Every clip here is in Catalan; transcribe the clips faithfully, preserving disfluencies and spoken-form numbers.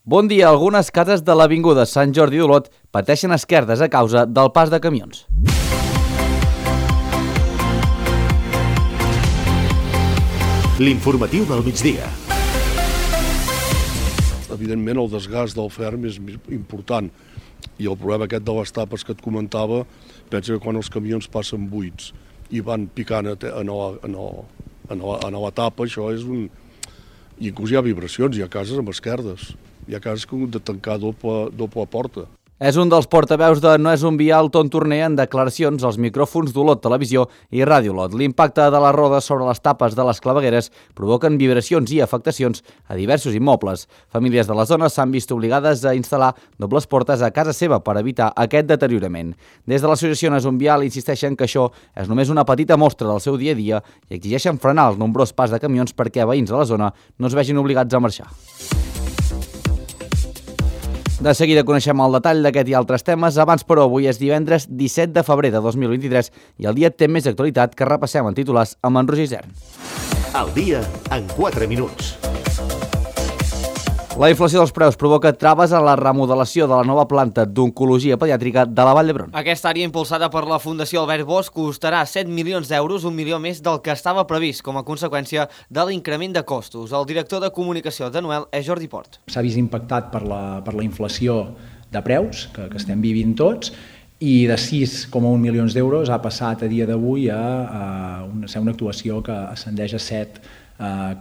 Bon dia. Algunes cases de l'avinguda Sant Jordi d'Olot pateixen esquerdes a causa del pas de camions. L'informatiu del migdia. Evidentment, el desgast del ferm és important i el problema aquest de les tapes que et comentava, pensa que quan els camions passen buits i van picant a la, a la, a la, a la tapa, això és un... I inclús hi ha vibracions, hi ha cases amb esquerdes, hi ha cases que han de tancar doble, doble porta. És un dels portaveus de No és un vial, Ton Torner, en declaracions als micròfons d'Olot Televisió i Ràdio Olot. L'impacte de les rodes sobre les tapes de les clavegueres provoquen vibracions i afectacions a diversos immobles. Famílies de la zona s'han vist obligades a instal·lar dobles portes a casa seva per evitar aquest deteriorament. Des de l'associació No és un vial insisteixen que això és només una petita mostra del seu dia a dia i exigeixen frenar el nombrós pas de camions perquè veïns de la zona no es vegin obligats a marxar. De seguida coneixem el detall d'aquest i altres temes. Abans, però, avui és divendres disset de febrer de dos mil vint-i-tres i el dia té més actualitat que repassem en titulars amb en Roger Isern. El dia en quatre minuts. La inflació dels preus provoca traves a la remodelació de la nova planta d'oncologia pediàtrica de la Vall d'Hebron. Aquesta àrea impulsada per la Fundació Albert Bosch costarà set milions d'euros, un milió més del que estava previst com a conseqüència de l'increment de costos. El director de comunicació de Noel és Jordi Port. S'ha vist impactat per la, per la inflació de preus que, que estem vivint tots i de sis coma un milions d'euros ha passat a dia d'avui a, a una, a ser una actuació que ascendeix a set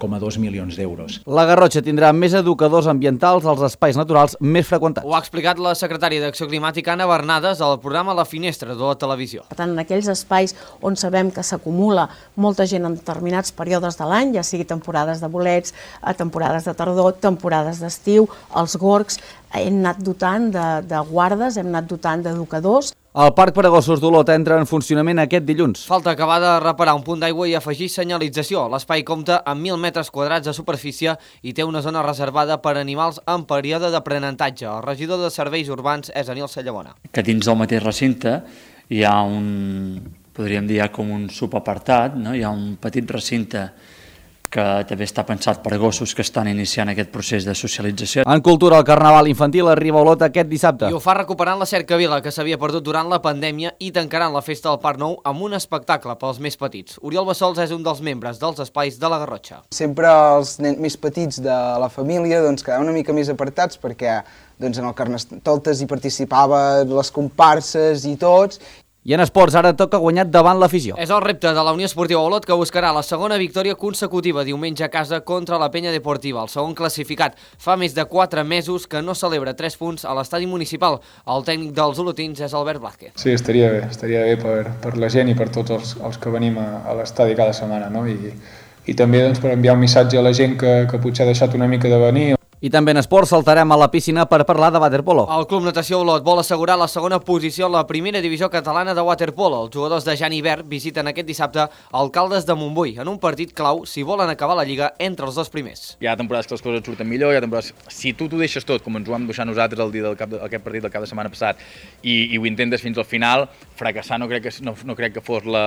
coma dos milions d'euros. La Garrotxa tindrà més educadors ambientals als espais naturals més freqüentats. Ho ha explicat la secretària d'Acció Climàtica, Anna Bernades, al programa La Finestra de la televisió. Per tant, en aquells espais on sabem que s'acumula molta gent en determinats períodes de l'any, ja sigui temporades de bolets, temporades de tardor, temporades d'estiu, els gorgs, hem anat dotant de, de guardes, hem anat dotant d'educadors. El Parc per a Gossos d'Olot entra en funcionament aquest dilluns. Falta acabar de reparar un punt d'aigua i afegir senyalització. L'espai compta amb mil metres quadrats de superfície i té una zona reservada per a animals en període d'aprenentatge. El regidor de Serveis Urbans és Aniol Sallamona. Que dins del mateix recinte hi ha un, podríem dir, com un subapartat, no? Hi ha un petit recinte que també està pensat per a gossos que estan iniciant aquest procés de socialització. En cultura, el Carnaval infantil arriba a Olot aquest dissabte. I ho fa recuperant la cercavila que s'havia perdut durant la pandèmia i tancaran la festa del Parc Nou amb un espectacle pels més petits. Oriol Bassols és un dels membres dels espais de la Garrotxa. Sempre els nens més petits de la família doncs, quedaven una mica més apartats perquè doncs, en el Carnestoltes hi participaven les comparses i tots. I en esports ara toca guanyar davant l'afició. És el repte de la Unió Esportiva Olot que buscarà la segona victòria consecutiva diumenge a casa contra la Penya Deportiva. El segon classificat fa més de quatre mesos que no celebra tres punts a l'estadi municipal. El tècnic dels olotins és Albert Blázquez. Sí, estaria bé, estaria bé per, per la gent i per tots els, els que venim a, a l'estadi cada setmana, no? I, i també doncs, per enviar un missatge a la gent que, que potser ha deixat una mica de venir. I també en esports saltarem a la piscina per parlar de waterpolo. El Club Natació Olot vol assegurar la segona posició a la primera divisió catalana de waterpolo. Els jugadors de Jan Ibert visiten aquest dissabte Alcaldes de Montbui en un partit clau si volen acabar la Lliga entre els dos primers. Hi ha temporades que les coses surten millor, hi ha temporades... Si tu t'ho deixes tot, com ens ho vam deixar nosaltres el dia del cap, aquest partit del cap de setmana passat, i, i ho intentes fins al final, fracassar no crec que, no, no crec que fos la,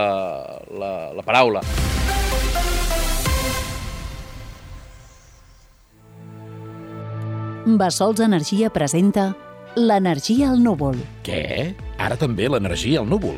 la, la paraula. Bassols Energia presenta l'energia al núvol. Què? Ara també l'energia al núvol?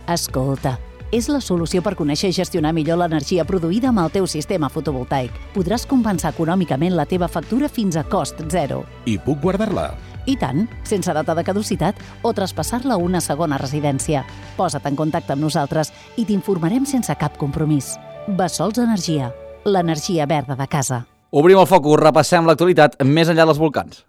Escolta, és la solució per conèixer i gestionar millor l'energia produïda amb el teu sistema fotovoltaic. Podràs compensar econòmicament la teva factura fins a cost zero. I puc guardar-la? I tant, sense data de caducitat o traspassar-la a una segona residència. Posa't en contacte amb nosaltres i t'informarem sense cap compromís. Bassols Energia, l'energia verda de casa. Obrim el focus, repassem l'actualitat més enllà dels volcans.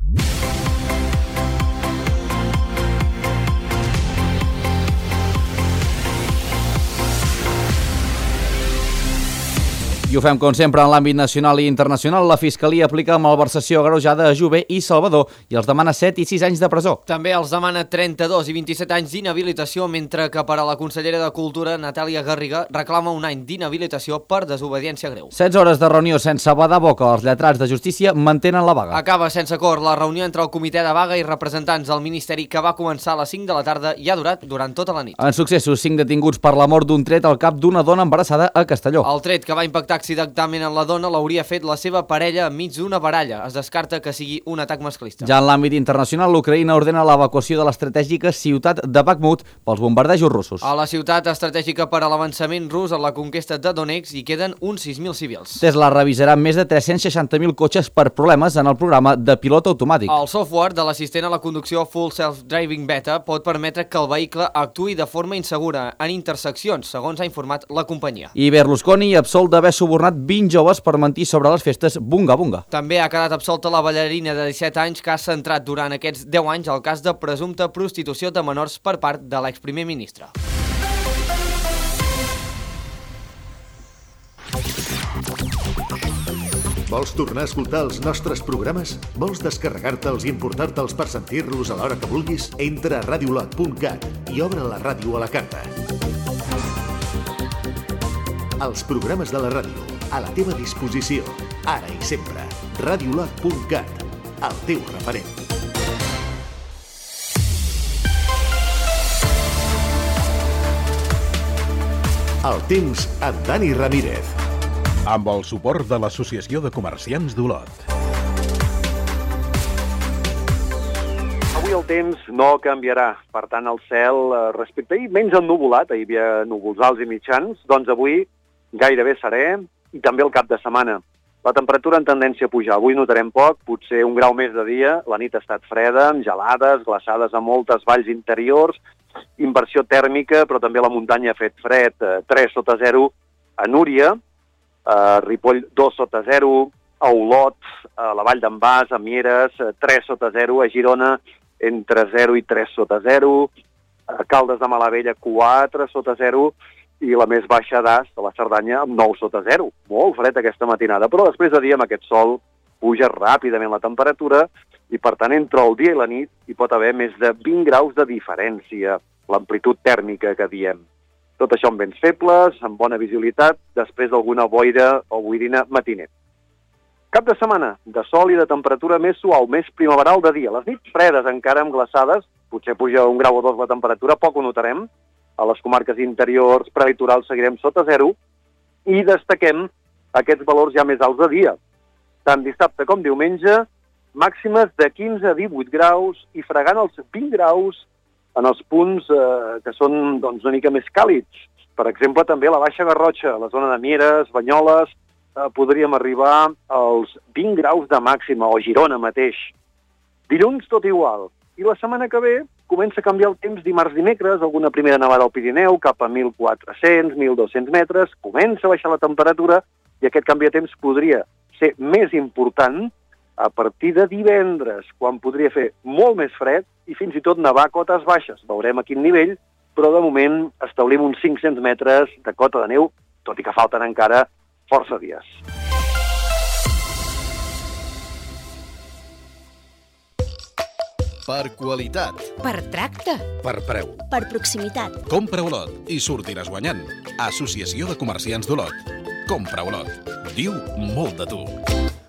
I ho fem, com sempre, en l'àmbit nacional i internacional. La Fiscalia aplica malversació agreujada a Jové i Salvador i els demana set i sis anys de presó. També els demana trenta-dos i vint-i-set anys d'inhabilitació, mentre que per a la consellera de Cultura, Natàlia Garriga, reclama un any d'inhabilitació per desobediència greu. setze hores de reunió sense badar boca. Els lletrats de justícia mantenen la vaga. Acaba sense acord la reunió entre el comitè de vaga i representants del Ministeri que va començar a les cinc de la tarda i ha durat durant tota la nit. En successos, cinc detinguts per la mort d'un tret al cap d'una dona embarassada a Castelló. El tret que va impactar accidentalment en la dona l'hauria fet la seva parella enmig d'una baralla. Es descarta que sigui un atac masclista. Ja en l'àmbit internacional, l'Ucraïna ordena l'evacuació de l'estratègica ciutat de Bakhmut pels bombardejos russos. A la ciutat estratègica per a l'avançament rus en la conquesta de Donetsk hi queden uns sis mil civils. Tesla revisarà més de tres-cents seixanta mil cotxes per problemes en el programa de pilot automàtic. El software de l'assistent a la conducció Full Self-Driving Beta pot permetre que el vehicle actuï de forma insegura en interseccions, segons ha informat la companyia. I Berlusconi absolt d'haver subornat vint joves per mentir sobre les festes Bunga Bunga. També ha quedat absolta la ballarina de disset anys que ha centrat durant aquests deu anys el cas de presumpta prostitució de menors per part de l'exprimer ministre. Vols tornar a escoltar els nostres programes? Vols descarregar-te'ls i importar-te'ls per sentir-los a l'hora que vulguis? Entra a radiolot punt cat i obre la ràdio a la carta. Els programes de la ràdio, a la teva disposició, ara i sempre. radiolot punt cat, el teu referent. El temps amb Dani Ramírez. Amb el suport de l'Associació de Comerciants d'Olot. Avui el temps no canviarà, per tant el cel respecte a ahir menys ennuvolat, ahir hi havia núvols alts i mitjans, doncs avui gairebé serè i també el cap de setmana. La temperatura en tendència a pujar, avui notarem poc, potser un grau més de dia, la nit ha estat freda, amb gelades, glaçades a moltes valls interiors, inversió tèrmica, però també la muntanya ha fet fred, tres sota zero a Núria, a Ripoll dos sota zero, a Olot, a la Vall d'en Bas, a Mieres, tres sota zero, a Girona entre zero i tres sota zero, a Caldes de Malavella quatre sota zero i la més baixa d'As, de la Cerdanya, amb nou sota zero. Molt fred aquesta matinada, però després de dia amb aquest sol puja ràpidament la temperatura i per tant entre el dia i la nit hi pot haver més de vint graus de diferència, l'amplitud tèrmica que diem. Tot això amb vents febles, amb bona visibilitat, després d'alguna boira o boirina matiner. Cap de setmana, de sol i de temperatura més suau, més primaveral de dia. Les nits fredes encara amb glaçades, potser puja un grau o dos la temperatura, poc ho notarem. A les comarques interiors, prelitorals, seguirem sota zero i destaquem aquests valors ja més alts de dia. Tant dissabte com diumenge, màximes de quinze a divuit graus i fregant els vint graus en els punts eh, que són doncs, una mica més càlids. Per exemple, també a la Baixa Garrotxa, a la zona de Mieres, Banyoles, eh, podríem arribar als vint graus de màxima, o Girona mateix. Dilluns tot igual. I la setmana que ve comença a canviar el temps dimarts dimecres, alguna primera nevada al Pirineu, cap a mil quatre-cents, mil dos-cents metres, comença a baixar la temperatura i aquest canvi de temps podria ser més important a partir de divendres, quan podria fer molt més fred i fins i tot nevar a cotes baixes. Veurem a quin nivell, però de moment establim uns cinc-cents metres de cota de neu, tot i que falten encara força dies. Per qualitat. Per tracte. Per preu. Per proximitat. Compra Olot i sortiràs guanyant. Associació de Comerciants d'Olot. Compra Olot. Diu molt de tu.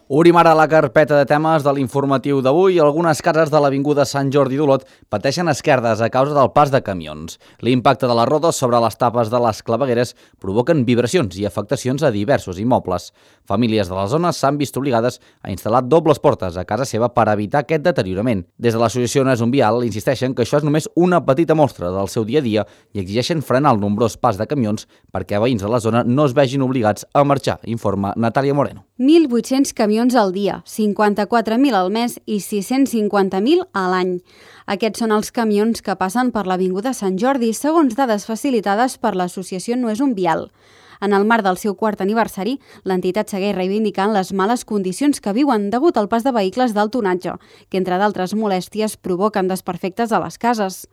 Obrim ara la carpeta de temes de l'informatiu d'avui. Algunes cases de l'Avinguda Sant Jordi d'Olot pateixen esquerdes a causa del pas de camions. L'impacte de les rodes sobre les tapes de les clavegueres provoquen vibracions i afectacions a diversos immobles. Famílies de la zona s'han vist obligades a instal·lar dobles portes a casa seva per evitar aquest deteriorament. Des de l'associació No és un vial insisteixen que això és només una petita mostra del seu dia a dia i exigeixen frenar el nombrós pas de camions perquè veïns de la zona no es vegin obligats a marxar, informa Natàlia Moreno. mil vuit-cents camions al dia, cinquanta-quatre mil al mes i sis-cents cinquanta mil a l'any. Aquests són els camions que passen per l'Avinguda Sant Jordi, segons dades facilitades per l'associació No és un vial. En el marc del seu quart aniversari, l'entitat segueix reivindicant les males condicions que viuen degut al pas de vehicles d'alt tonatge, que entre d'altres molèsties provoquen desperfectes a les cases.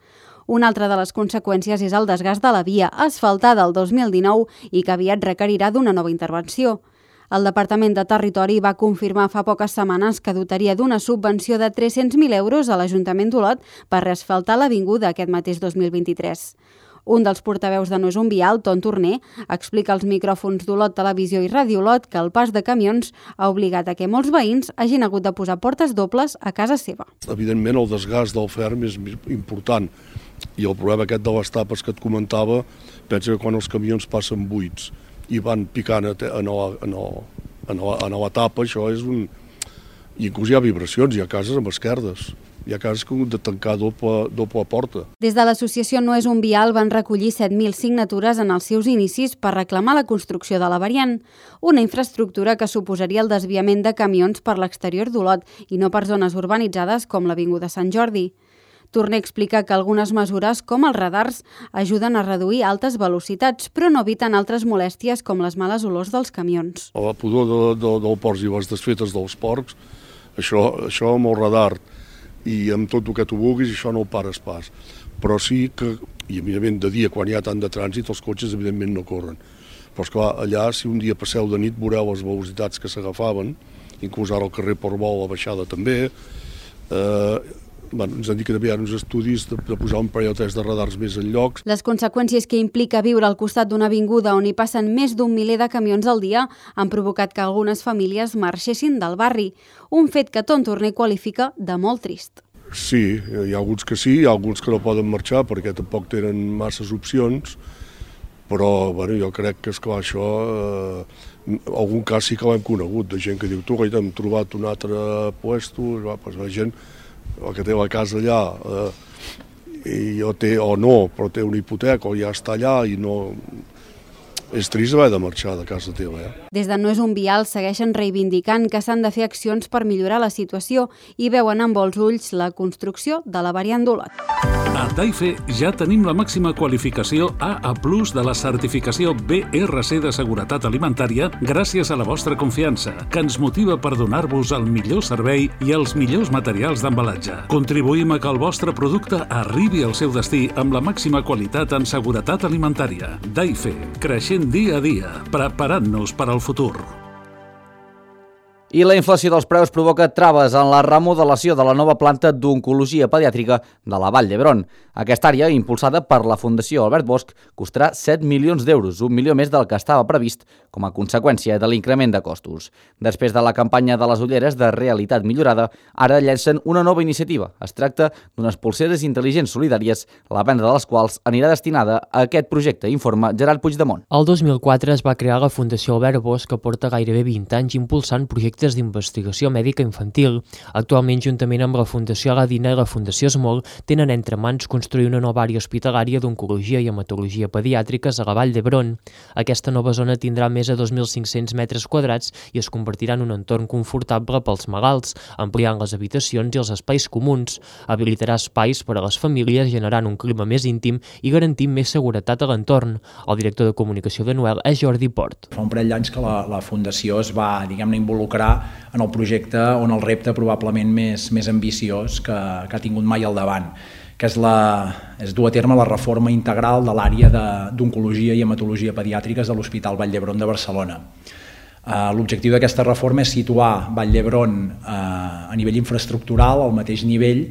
Una altra de les conseqüències és el desgast de la via, asfaltada el dos mil dinou i que aviat requerirà d'una nova intervenció. El Departament de Territori va confirmar fa poques setmanes que dotaria d'una subvenció de tres-cents mil euros a l'Ajuntament d'Olot per reasfaltar l'avinguda aquest mateix dos mil vint-i-tres. Un dels portaveus de No és un vial, Ton Torner, explica als micròfons d'Olot Televisió i Ràdio Olot que el pas de camions ha obligat a que molts veïns hagin hagut de posar portes dobles a casa seva. Evidentment el desgast del ferm és important i el problema aquest de les tapes que et comentava, pensa que quan els camions passen buits i van picant a nova, a nova, a nova, a nova etapa, això és un... I inclús hi ha vibracions, hi ha cases amb esquerdes, hi ha cases que han de tancar doble, doble porta. Des de l'associació No és un vial van recollir set mil signatures en els seus inicis per reclamar la construcció de la variant, una infraestructura que suposaria el desviament de camions per l'exterior d'Olot i no per zones urbanitzades com l'Avinguda Sant Jordi. Torner explica que algunes mesures, com els radars, ajuden a reduir altes velocitats, però no eviten altres molèsties com les males olors dels camions. La pudor de, de, del porcs i les desfetes dels porcs, això, això amb el radar i amb tot el que tu vulguis, això no ho pares pas. Però sí que, i evidentment de dia, quan hi ha tant de trànsit, els cotxes evidentment no corren. Però esclar, allà, si un dia passeu de nit, veureu les velocitats que s'agafaven, inclús ara al carrer Portbou, a la baixada també. Eh, bueno, ens han dit que també hi ha uns estudis de, de posar un parell o tres de radars més en llocs. Les conseqüències que implica viure al costat d'una avinguda on hi passen més d'un miler de camions al dia han provocat que algunes famílies marxessin del barri, un fet que Ton Torner qualifica de molt trist. Sí, hi ha alguns que sí, hi ha alguns que no poden marxar perquè tampoc tenen masses opcions, però bueno, jo crec que, esclar, això, eh, algun cas sí que l'hem conegut, de gent que diu, tu, hem trobat un altre puesto, va, doncs la gent el que té la casa allà, eh, i o té o no, però té una hipoteca o ja està allà i no... És trist haver de marxar de casa teva, eh? Des de No és un vial segueixen reivindicant que s'han de fer accions per millorar la situació i veuen amb bons ulls la construcció de la variant d'Olot. A Daife ja tenim la màxima qualificació A A plus de la certificació B R C de seguretat alimentària gràcies a la vostra confiança, que ens motiva per donar-vos el millor servei i els millors materials d'embalatge. Contribuïm a que el vostre producte arribi al seu destí amb la màxima qualitat en seguretat alimentària. Daife, creixent dia a dia, preparant-nos per al futur. I la inflació dels preus provoca traves en la remodelació de la nova planta d'oncologia pediàtrica de la Vall d'Hebron. Aquesta àrea, impulsada per la Fundació Albert Bosch, costarà set milions d'euros, un milió més del que estava previst com a conseqüència de l'increment de costos. Després de la campanya de les ulleres de realitat millorada, ara llencen una nova iniciativa. Es tracta d'unes polseres intel·ligents solidàries, la venda de les quals anirà destinada a aquest projecte, informa Gerard Puigdemont. El dos mil quatre es va crear la Fundació Albert Bosch, que porta gairebé vint anys impulsant projectes d'investigació mèdica infantil. Actualment, juntament amb la Fundació Aladina i la Fundació Smol, tenen entre mans construir una nova àrea hospitalària d'oncologia i hematologia pediàtriques a la Vall d'Hebron. Aquesta nova zona tindrà més de dos mil cinc-cents metres quadrats i es convertirà en un entorn confortable pels malalts, ampliant les habitacions i els espais comuns. Habilitarà espais per a les famílies, generant un clima més íntim i garantint més seguretat a l'entorn. El director de comunicació de Noel és Jordi Port. Fa un parell d'anys que la, la Fundació es va, diguem-ne, involucrar en el projecte on el repte probablement més, més ambiciós que, que ha tingut mai al davant, que és, la, és dur a terme la reforma integral de l'àrea d'oncologia i hematologia pediàtriques de l'Hospital Vall d'Hebron de Barcelona. Uh, L'objectiu d'aquesta reforma és situar Vall d'Hebron uh, a nivell infraestructural al mateix nivell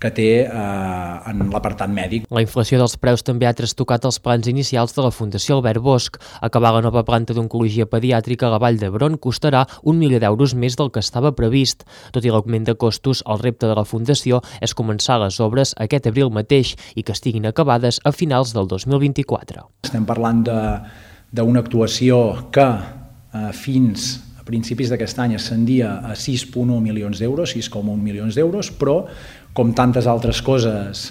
que té eh, en l'apartat mèdic. La inflació dels preus també ha trastocat els plans inicials de la Fundació Albert Bosch. Acabar la nova planta d'oncologia pediàtrica a la Vall d'Hebron costarà un milió d'euros més del que estava previst. Tot i l'augment de costos, el repte de la Fundació és començar les obres aquest abril mateix i que estiguin acabades a finals del dos mil vint-i-quatre. Estem parlant d'una actuació que eh, fins a principis d'aquest any ascendia a sis coma un milions d'euros, sis coma un milions d'euros, però com tantes altres coses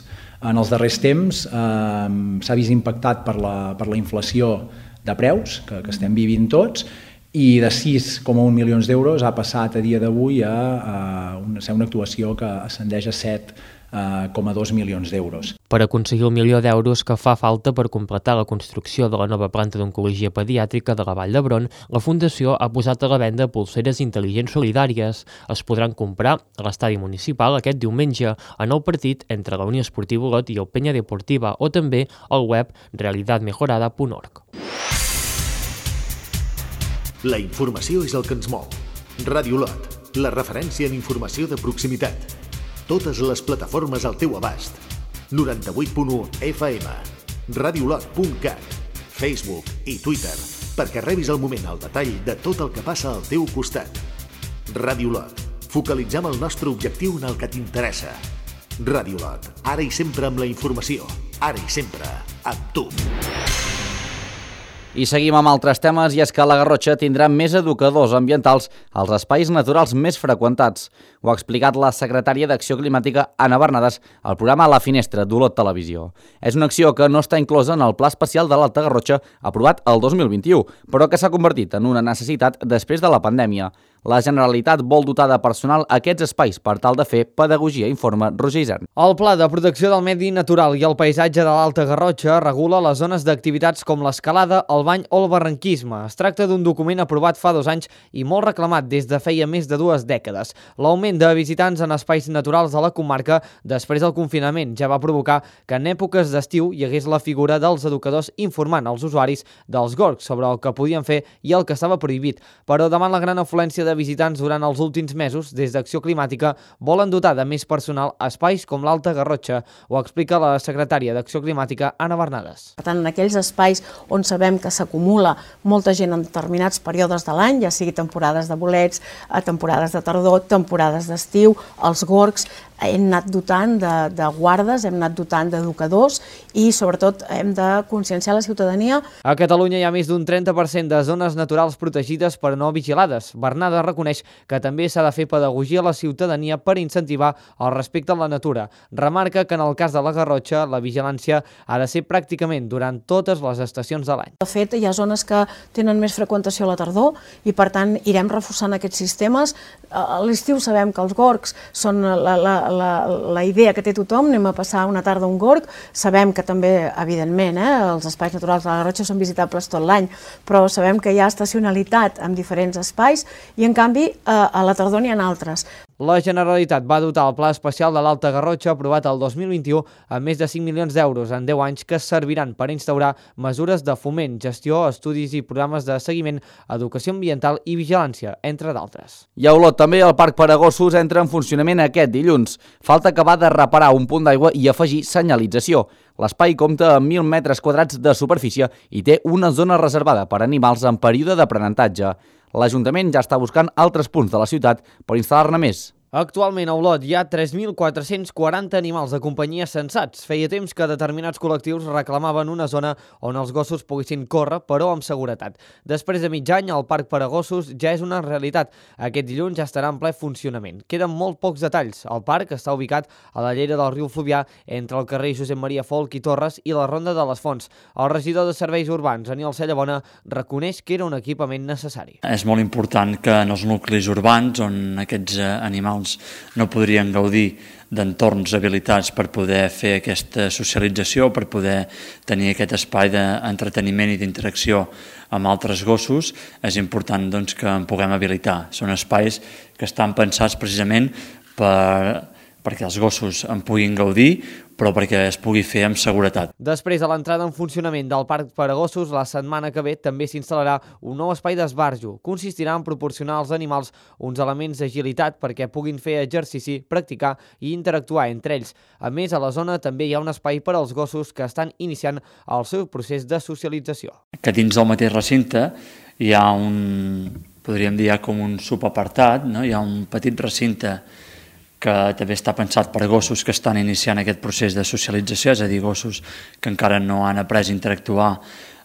en els darrers temps, eh, s'ha vist impactat per la, per la inflació de preus que, que estem vivint tots, i de sis coma un milions d'euros ha passat a dia d'avui a, a una, ser una actuació que ascendeix a set coma dos milions d'euros. Per aconseguir el milió d'euros que fa falta per completar la construcció de la nova planta d'oncologia pediàtrica de la Vall d'Hebron, la Fundació ha posat a la venda pulseres intel·ligents solidàries. Es podran comprar a l'estadi municipal aquest diumenge en el partit entre la Unió Esportiva Olot i el Penya Deportiva o també al web realitat mejorada punt org. La informació és el que ens mou. Ràdio Olot, la referència en informació de proximitat. Totes les plataformes al teu abast. noranta-vuit punt u F M, radiolot punt cat, Facebook i Twitter, perquè rebis al moment el detall de tot el que passa al teu costat. Ràdio Olot, focalitzem el nostre objectiu en el que t'interessa. Ràdio Olot, ara i sempre amb la informació, ara i sempre amb tu. I seguim amb altres temes, i és que la Garrotxa tindrà més educadors ambientals als espais naturals més freqüentats. Ho ha explicat la secretària d'Acció Climàtica, Anna Bernades, al programa La Finestra d'Olot Televisió. És una acció que no està inclosa en el Pla Especial de l'Alta Garrotxa aprovat el dos mil vint-i-u, però que s'ha convertit en una necessitat després de la pandèmia. La Generalitat vol dotar de personal aquests espais per tal de fer pedagogia, informa Roger Isern. El Pla de Protecció del Medi Natural i el Paisatge de l'Alta Garrotxa regula les zones d'activitats com l'escalada, el bany o el barranquisme. Es tracta d'un document aprovat fa dos anys i molt reclamat des de feia més de dues dècades. L'augment de visitants en espais naturals de la comarca després del confinament ja va provocar que en èpoques d'estiu hi hagués la figura dels educadors informant als usuaris dels gorgs sobre el que podien fer i el que estava prohibit. Però davant la gran afluència de visitants durant els últims mesos, des d'Acció Climàtica volen dotar de més personal a espais com l'Alta Garrotxa. Ho explica la secretària d'Acció Climàtica, Anna Bernades. Per tant, en aquells espais on sabem que s'acumula molta gent en determinats períodes de l'any, ja sigui temporades de bolets, temporades de tardor, temporades d'estiu, els gorgs, hem anat dotant de, de guardes, hem anat dotant d'educadors i, sobretot, hem de conscienciar la ciutadania. A Catalunya hi ha més d'un trenta per cent de zones naturals protegides però no vigilades. Bernades reconeix que també s'ha de fer pedagogia a la ciutadania per incentivar el respecte a la natura. Remarca que en el cas de la Garrotxa la vigilància ha de ser pràcticament durant totes les estacions de l'any. De fet, hi ha zones que tenen més freqüentació a la tardor i, per tant, irem reforçant aquests sistemes. A l'estiu sabem que els gorgs són la, la, la, la idea que té tothom, anem a passar una tarda a un gorg. Sabem que també, evidentment, eh, els espais naturals de la Garrotxa són visitables tot l'any, però sabem que hi ha estacionalitat en diferents espais i, en canvi, a la tardor n'hi ha altres. La Generalitat va dotar el Pla Especial de l'Alta Garrotxa aprovat el dos mil vint-i-u amb més de cinc milions d'euros en deu anys que serviran per instaurar mesures de foment, gestió, estudis i programes de seguiment, educació ambiental i vigilància, entre d'altres. I a Olot també el Parc per a Gossos entra en funcionament aquest dilluns. Falta acabar de reparar un punt d'aigua i afegir senyalització. L'espai compta amb mil metres quadrats de superfície i té una zona reservada per a animals en període d'aprenentatge. L'Ajuntament ja està buscant altres punts de la ciutat per instal·lar-ne més. Actualment a Olot hi ha tres mil quatre-cents quaranta animals de companyia censats. Feia temps que determinats col·lectius reclamaven una zona on els gossos poguessin córrer, però amb seguretat. Després de mig any, el Parc per a Gossos ja és una realitat. Aquest dilluns ja estarà en ple funcionament. Queden molt pocs detalls. El parc està ubicat a la llera del riu Fluvià, entre el carrer Josep Maria Folch i Torres i la Ronda de les Fonts. El regidor de Serveis Urbans, Aniol Cellabona, reconeix que era un equipament necessari. És molt important que en els nuclis urbans, on aquests animals no podrien gaudir d'entorns habilitats per poder fer aquesta socialització, per poder tenir aquest espai d'entreteniment i d'interacció amb altres gossos, és important doncs, que en puguem habilitar. Són espais que estan pensats precisament per, perquè els gossos en puguin gaudir, però perquè es pugui fer amb seguretat. Després de l'entrada en funcionament del Parc per a Gossos, la setmana que ve també s'instal·larà un nou espai d'esbarjo. Consistirà en proporcionar als animals uns elements d'agilitat perquè puguin fer exercici, practicar i interactuar entre ells. A més, a la zona també hi ha un espai per als gossos que estan iniciant el seu procés de socialització. Que dins del mateix recinte hi ha un, podríem dir, com un subapartat, no? Hi ha un petit recinte que també està pensat per a gossos que estan iniciant aquest procés de socialització, és a dir, gossos que encara no han après a interactuar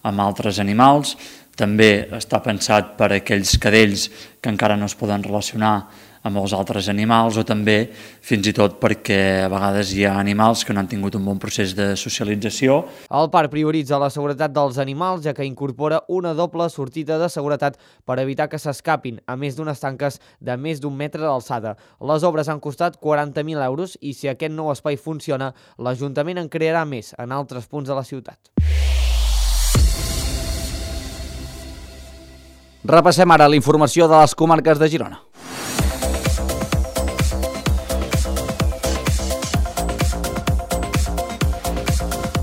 amb altres animals. També està pensat per a aquells cadells que encara no es poden relacionar amb els altres animals, o també fins i tot perquè a vegades hi ha animals que no han tingut un bon procés de socialització. El parc prioritza la seguretat dels animals, ja que incorpora una doble sortida de seguretat per evitar que s'escapin, a més d'unes tanques de més d'un metre d'alçada. Les obres han costat quaranta mil euros i si aquest nou espai funciona, l'Ajuntament en crearà més en altres punts de la ciutat. Repassem ara la informació de les comarques de Girona.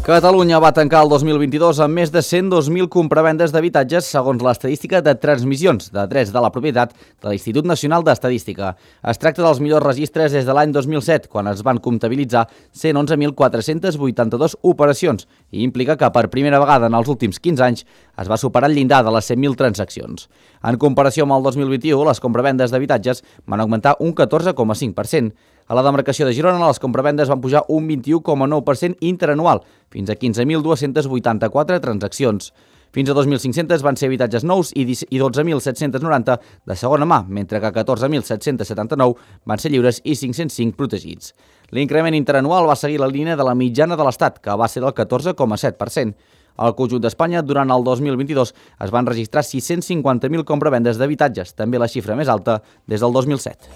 Catalunya va tancar el dos mil vint-i-dos amb més de cent dos mil compravendes d'habitatges segons l'estadística de transmissions de drets de la propietat de l'Institut Nacional d'Estadística. Es tracta dels millors registres des de l'any dos mil set, quan es van comptabilitzar cent onze mil quatre-cents vuitanta-dos operacions i implica que per primera vegada en els últims quinze anys es va superar el llindar de les cent mil transaccions. En comparació amb el dos mil vint-i-u, les compravendes d'habitatges van augmentar un catorze coma cinc per cent. A la demarcació de Girona, les compravendes van pujar un vint-i-u coma nou per cent interanual, fins a quinze mil dos-cents vuitanta-quatre transaccions. Fins a dos mil cinc-cents van ser habitatges nous i dotze mil set-cents noranta de segona mà, mentre que catorze mil set-cents setanta-nou van ser lliures i cinc-cents cinc protegits. L'increment interanual va seguir la línia de la mitjana de l'Estat, que va ser del catorze coma set per cent. Al conjunt d'Espanya, durant el dos mil vint-i-dos, es van registrar sis-cents cinquanta mil compravendes d'habitatges, també la xifra més alta des del dos mil set.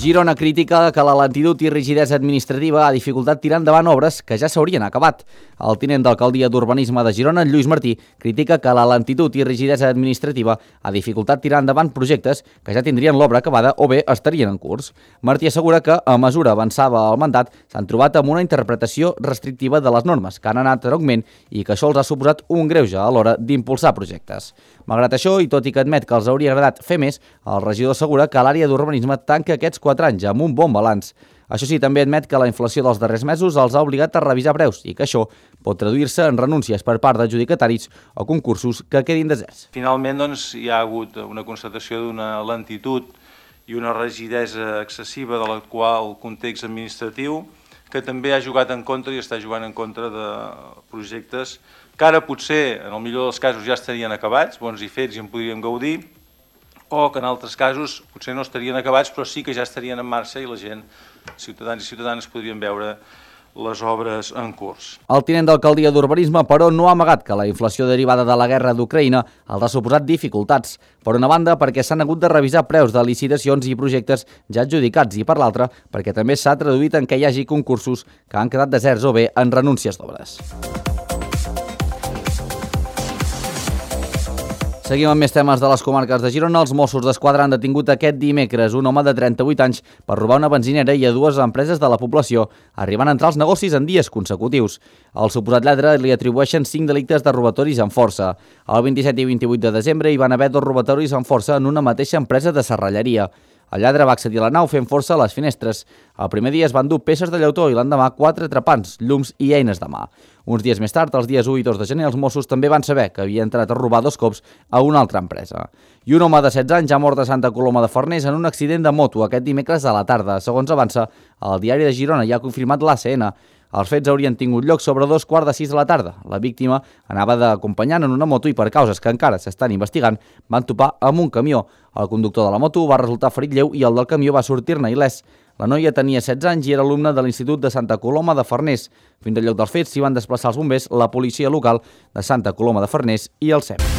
Girona critica que la lentitud i rigidesa administrativa ha dificultat tirar endavant obres que ja s'haurien acabat. El tinent d'alcaldia d'Urbanisme de Girona, Lluís Martí, critica que la lentitud i rigidesa administrativa ha dificultat tirar endavant projectes que ja tindrien l'obra acabada o bé estarien en curs. Martí assegura que, a mesura avançava el mandat, s'han trobat amb una interpretació restrictiva de les normes, que han anat en augment i que això els ha suposat un greuge a l'hora d'impulsar projectes. Malgrat això, i tot i que admet que els hauria agradat fer més, el regidor assegura que l'àrea d'urbanisme tanca aquests quatre anys amb un bon balanç. Això sí, també admet que la inflació dels darrers mesos els ha obligat a revisar preus i que això pot traduir-se en renúncies per part d'adjudicataris o concursos que quedin deserts. Finalment, doncs, hi ha hagut una constatació d'una lentitud i una rigidesa excessiva de l'actual context administratiu que també ha jugat en contra i està jugant en contra de projectes que ara potser, en el millor dels casos, ja estarien acabats, bons i fets i en podríem gaudir, o que en altres casos potser no estarien acabats però sí que ja estarien en marxa i la gent, ciutadans i ciutadanes, podrien veure les obres en curs. El tinent d'alcaldia d'Urbanisme, però, no ha amagat que la inflació derivada de la guerra d'Ucraïna els ha suposat dificultats. Per una banda, perquè s'han hagut de revisar preus de licitacions i projectes ja adjudicats, i per l'altra, perquè també s'ha traduït en què hi hagi concursos que han quedat deserts o bé en renúncies d'obres. Seguim amb més temes de les comarques de Girona. Els Mossos d'Esquadra han detingut aquest dimecres un home de trenta-vuit anys per robar una benzinera i a dues empreses de la població, arribant a entrar als negocis en dies consecutius. Al suposat lladre li atribueixen cinc delictes de robatoris amb força. El vint-i-set i vint-i-vuit de desembre hi van haver dos robatoris amb força en una mateixa empresa de serralleria. El lladre va accedir a la nau fent força a les finestres. El primer dia es van dur peces de llautó i l'endemà quatre trepants, llums i eines de mà. Uns dies més tard, els dies u i dos de gener, els Mossos també van saber que havia entrat a robar dos cops a una altra empresa. I un home de setze anys ha mort a Santa Coloma de Farners en un accident de moto aquest dimecres a la tarda. Segons avança, el diari de Girona ja ha confirmat l'A C N. Els fets haurien tingut lloc sobre dos quarts de sis de la tarda. La víctima anava d'acompanyant en una moto i per causes que encara s'estan investigant van topar amb un camió. El conductor de la moto va resultar ferit lleu i el del camió va sortir-ne il·lès. La noia tenia setze anys i era alumne de l'Institut de Santa Coloma de Farners. Fins al lloc dels fets s'hi van desplaçar els bombers, la policia local de Santa Coloma de Farners i el S E M.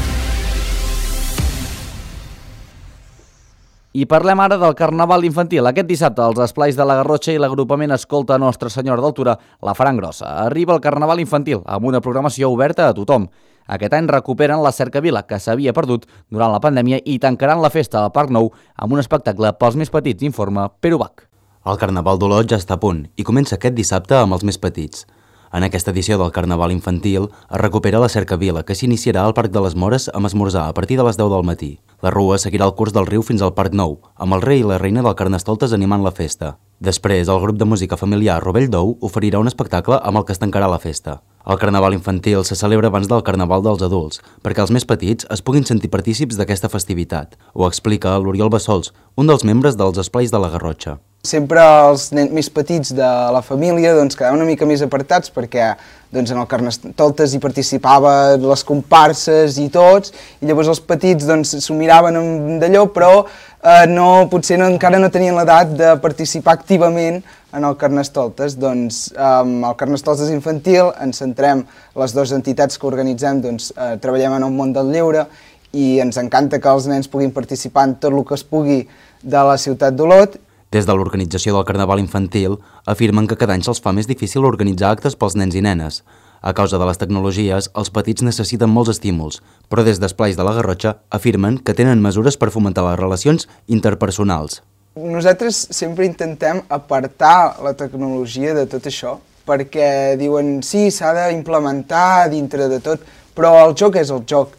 I parlem ara del Carnaval infantil. Aquest dissabte, els esplais de la Garrotxa i l'agrupament Escolta Nostra Senyora d'Altura la faran grossa. Arriba el Carnaval infantil, amb una programació oberta a tothom. Aquest any recuperen la Cercavila, que s'havia perdut durant la pandèmia, i tancaran la festa al Parc Nou amb un espectacle pels més petits, informa Pere Ubach. El Carnaval d'Olot ja està a punt i comença aquest dissabte amb els més petits. En aquesta edició del Carnaval infantil es recupera la Cercavila, que s'iniciarà al Parc de les Mores amb esmorzar a partir de les deu del matí. La rua seguirà el curs del riu fins al Parc Nou, amb el rei i la reina del Carnestoltes animant la festa. Després, el grup de música familiar Rovell d'Ou oferirà un espectacle amb el que es tancarà la festa. El Carnaval infantil se celebra abans del Carnaval dels adults, perquè els més petits es puguin sentir partícips d'aquesta festivitat. Ho explica l'Oriol Bassols, un dels membres dels esplais de la Garrotxa. Sempre els nens més petits de la família doncs, quedaven una mica més apartats perquè doncs, en el Carnestoltes hi participaven les comparses i tots, i llavors els petits doncs, s'ho miraven d'allò, però eh, no, potser no, encara no tenien l'edat de participar activament en el Carnestoltes. Doncs, amb el Carnestoltes infantil ens centrem, les dues entitats que organitzem, doncs, eh, treballem en el món del lleure i ens encanta que els nens puguin participar en tot el que es pugui de la ciutat d'Olot. Des de l'organització del Carnaval infantil afirmen que cada any se'ls fa més difícil organitzar actes pels nens i nenes. A causa de les tecnologies, els petits necessiten molts estímuls, però des d'Esplais de la Garrotxa afirmen que tenen mesures per fomentar les relacions interpersonals. Nosaltres sempre intentem apartar la tecnologia de tot això, perquè diuen sí, s'ha d'implementar dintre de tot, però el joc és el joc.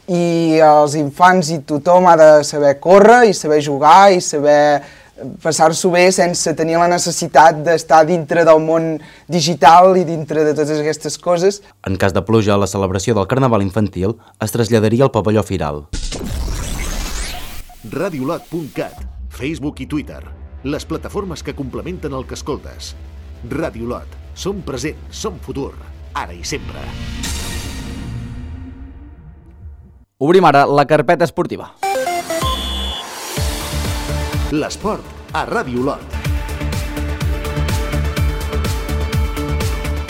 I els infants i tothom ha de saber córrer i saber jugar i saber passar-s'ho bé sense tenir la necessitat d'estar dintre del món digital i dintre de totes aquestes coses. En cas de pluja, la celebració del Carnaval infantil es traslladaria al pavelló Firal. radiolot punt cat, Facebook i Twitter, les plataformes que complementen el que escoltes. Radiolot, Som present, som futur, ara i sempre. Obrim ara la carpeta esportiva. L'esport a Ràdio Olot.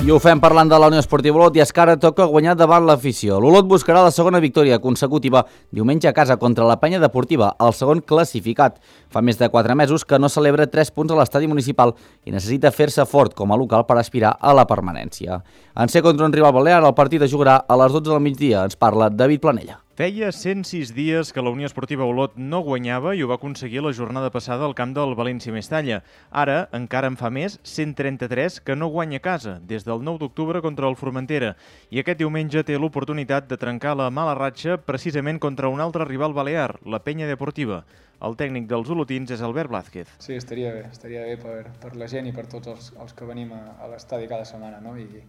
I ho fem parlant de la Unió Esportiva Olot i és que ara toca guanyar davant l'afició. L'Olot buscarà la segona victòria consecutiva diumenge a casa contra la Penya Deportiva, el segon classificat. Fa més de quatre mesos que no celebra tres punts a l'estadi municipal i necessita fer-se fort com a local per aspirar a la permanència. En ser contra un rival balear, el partit es jugarà a les dotze del migdia. Ens parla David Planella. Feia cent sis dies que la Unió Esportiva Olot no guanyava i ho va aconseguir la jornada passada al camp del València Mestalla. Ara, encara en fa més, cent trenta-tres que no guanya a casa, des del nou d'octubre contra el Formentera. I aquest diumenge té l'oportunitat de trencar la mala ratxa precisament contra un altre rival balear, la Penya Deportiva. El tècnic dels olotins és Albert Blázquez. Sí, estaria bé, estaria bé per, per la gent i per tots els, els que venim a, a l'estadi cada setmana, no? I,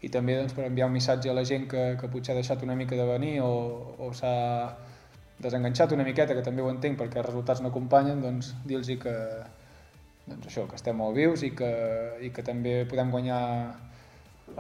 i també doncs, per enviar un missatge a la gent que, que potser ha deixat una mica de venir o, o s'ha desenganxat una miqueta, que també ho entenc perquè els resultats no acompanyen, doncs dir-los que, doncs això, que estem molt vius i que, i que també podem guanyar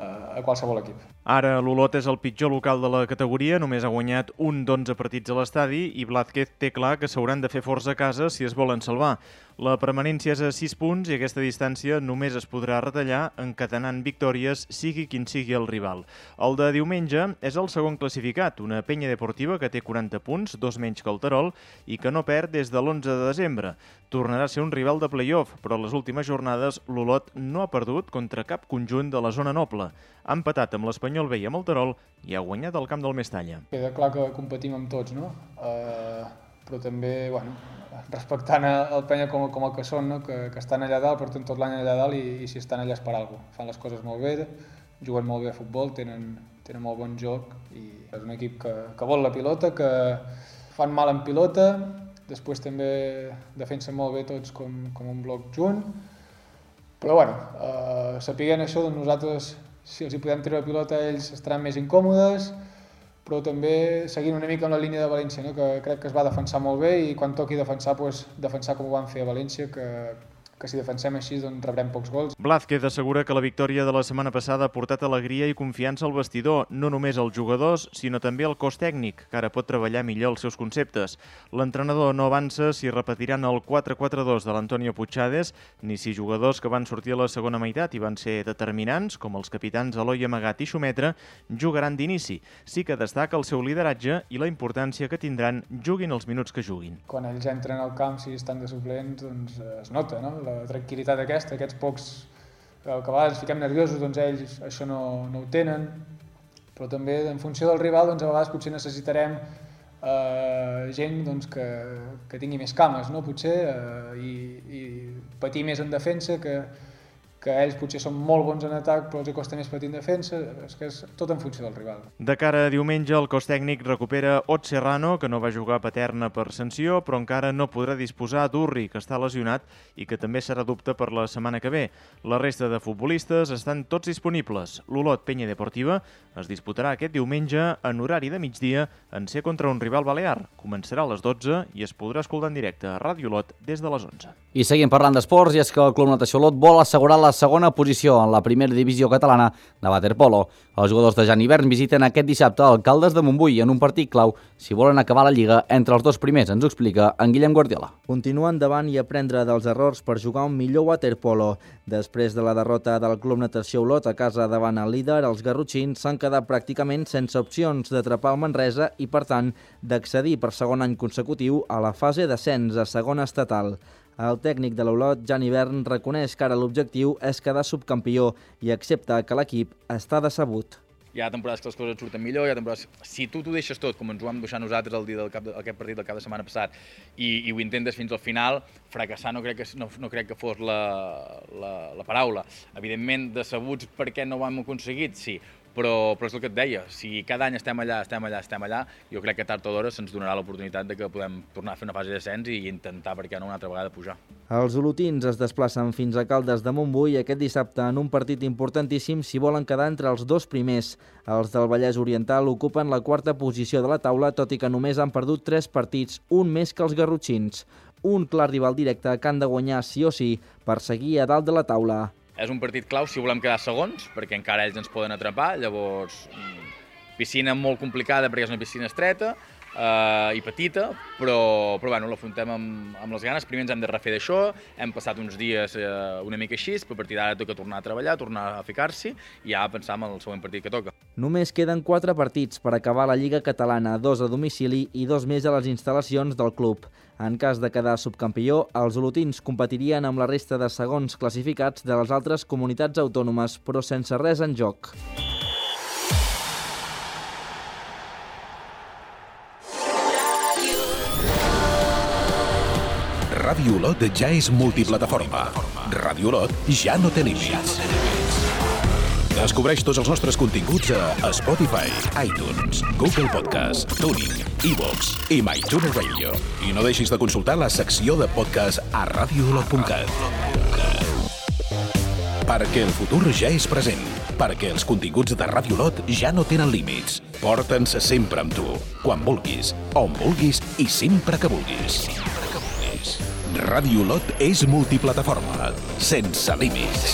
a qualsevol equip. Ara l'Olot és el pitjor local de la categoria, només ha guanyat un d'onze partits a l'estadi i Blázquez té clar que s'hauran de fer forts a casa si es volen salvar. La permanència és a sis punts i aquesta distància només es podrà retallar encadenant victòries sigui quin sigui el rival. El de diumenge és el segon classificat, una Penya Deportiva que té quaranta punts, dos menys que el Terol, i que no perd des de l'onze de desembre. Tornarà a ser un rival de play-off, però a les últimes jornades l'Olot no ha perdut contra cap conjunt de la zona noble. Ha empatat amb l'Espanyol B i amb el Terol i ha guanyat al camp del Mestalla. Queda clar que competim amb tots, no? Uh, però també, bueno, respectant el Penya com, com el que són, no? que, que estan allà dalt, porten tot l'any allà dalt i, i si estan allà és per alguna cosa. Fan les coses molt bé, juguen molt bé a futbol, tenen, tenen molt bon joc i és un equip que, que vol la pilota, que fan mal en pilota, després també defensen molt bé tots com, com un bloc junt, però bueno, uh, sapiguent això, doncs nosaltres, si els hi podem treure la pilota, ells estaran més incòmodes, però també seguint una mica amb la línia de València, no? que crec que es va defensar molt bé i quan toqui defensar, doncs, defensar com ho van fer a València, que, que si defensem així doncs rebrem pocs gols. Blázquez assegura que la victòria de la setmana passada ha portat alegria i confiança al vestidor, no només als jugadors, sinó també al cos tècnic, que ara pot treballar millor els seus conceptes. L'entrenador no avança si repetiran el quatre quatre dos de l'Antonio Puigades, ni si jugadors que van sortir a la segona meitat i van ser determinants, com els capitans Eloi Amagat i Xumetra, jugaran d'inici. Sí que destaca el seu lideratge i la importància que tindran juguin els minuts que juguin. Quan ells entren al camp, si estan de suplents, doncs es nota, no? La tranquil·litat aquesta, aquests pocs que a vegades fiquem nerviosos, doncs ells això no, no ho tenen, però també en funció del rival doncs a vegades potser necessitarem eh, gent doncs, que, que tingui més cames, no? potser, eh, i, i patir més en defensa, que, que ells potser són molt bons en atac però els costa més patir en defensa, és que és tot en funció del rival. De cara a diumenge, el cos tècnic recupera Ot Serrano, que no va jugar a Paterna per sanció, però encara no podrà disposar d'Urri, que està lesionat i que també serà dubte per la setmana que ve. La resta de futbolistes estan tots disponibles. L'Olot Penya Deportiva es disputarà aquest diumenge en horari de migdia en ser contra un rival balear. Començarà a les dotze i es podrà escoltar en directe a Ràdio Olot des de les onze. I seguim parlant d'esports, i és que el Club Natació Olot vol assegurar la segona posició en la primera divisió catalana de waterpolo. Els jugadors de Jan Hivern visiten aquest dissabte Alcaldes de Montbui en un partit clau si volen acabar la Lliga entre els dos primers, ens ho explica en Guillem Guardiola. Continua endavant i aprendre dels errors per jugar un millor waterpolo. Després de la derrota del Club Natació Olot a casa davant el líder, els garrotxins s'han quedat pràcticament sense opcions d'atrapar el Manresa i, per tant, d'accedir per segon any consecutiu a la fase d'ascens a segona estatal. El tècnic de l'Olot, Jan Hivern, reconeix que ara l'objectiu és quedar subcampió i accepta que l'equip està decebut. Hi ha temporades que les coses et surten millor, hi ha temporades... Si tu t'ho deixes tot, com ens ho vam deixar nosaltres el dia del cap de, aquest partit del cap de setmana passat, i, i ho intentes fins al final, fracassar no crec que, no, no crec que fos la, la, la paraula. Evidentment, decebuts perquè no ho hem aconseguit, sí, però, però és el que et deia, si cada any estem allà, estem allà, estem allà, jo crec que tard o d'hora se'ns donarà l'oportunitat de que podem tornar a fer una fase d'ascens i intentar, per què no, una altra vegada pujar. Els olotins es desplacen fins a Caldes de Montbui aquest dissabte en un partit importantíssim si volen quedar entre els dos primers. Els del Vallès Oriental ocupen la quarta posició de la taula, tot i que només han perdut tres partits, un més que els garrotxins. Un clar rival directe que han de guanyar sí o sí per seguir a dalt de la taula. és un partit clau si volem quedar segons, perquè encara ells ens poden atrapar, llavors piscina molt complicada perquè és una piscina estreta, Uh, i petita, però, però bueno, l'afrontem amb, amb les ganes. Primer ens hem de refer d'això, hem passat uns dies uh, una mica així, però a partir d'ara toca tornar a treballar, tornar a ficar-s'hi i ja pensar en el següent partit que toca. Només queden quatre partits per acabar la Lliga Catalana, dos a domicili i dos més a les instal·lacions del club. En cas de quedar subcampió, els olotins competirien amb la resta de segons classificats de les altres comunitats autònomes, però sense res en joc. Ràdio Olot ja és multiplataforma. Ràdio Olot ja no té límits. Descobreix tots els nostres continguts a Spotify, iTunes, Google Podcast, TuneIn, iVoox i MyTuner Radio. I no deixis de consultar la secció de podcast a radio olot punt cat. Perquè el futur ja és present. Perquè els continguts de Ràdio Olot ja no tenen límits. Porta'ns sempre amb tu, quan vulguis, on vulguis i sempre que vulguis. Ràdio Olot és multiplataforma, sense límits.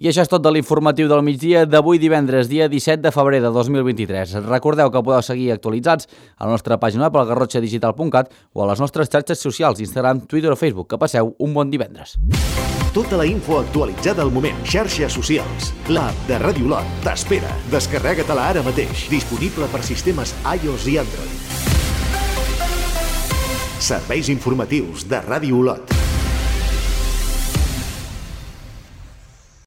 I això és tot de l'informatiu del migdia d'avui divendres, dia disset de febrer de dos mil vint-i-tres. Recordeu que podeu seguir actualitzats a la nostra pàgina web al garrotxa digital punt cat o a les nostres xarxes socials, Instagram, Twitter o Facebook. Que passeu un bon divendres. Tota la info actualitzada al moment. Xarxes socials. L'app de Ràdio Olot t'espera. Descarrega-te-la ara mateix. Disponible per sistemes iOS i Android. Serveis informatius de Ràdio Olot.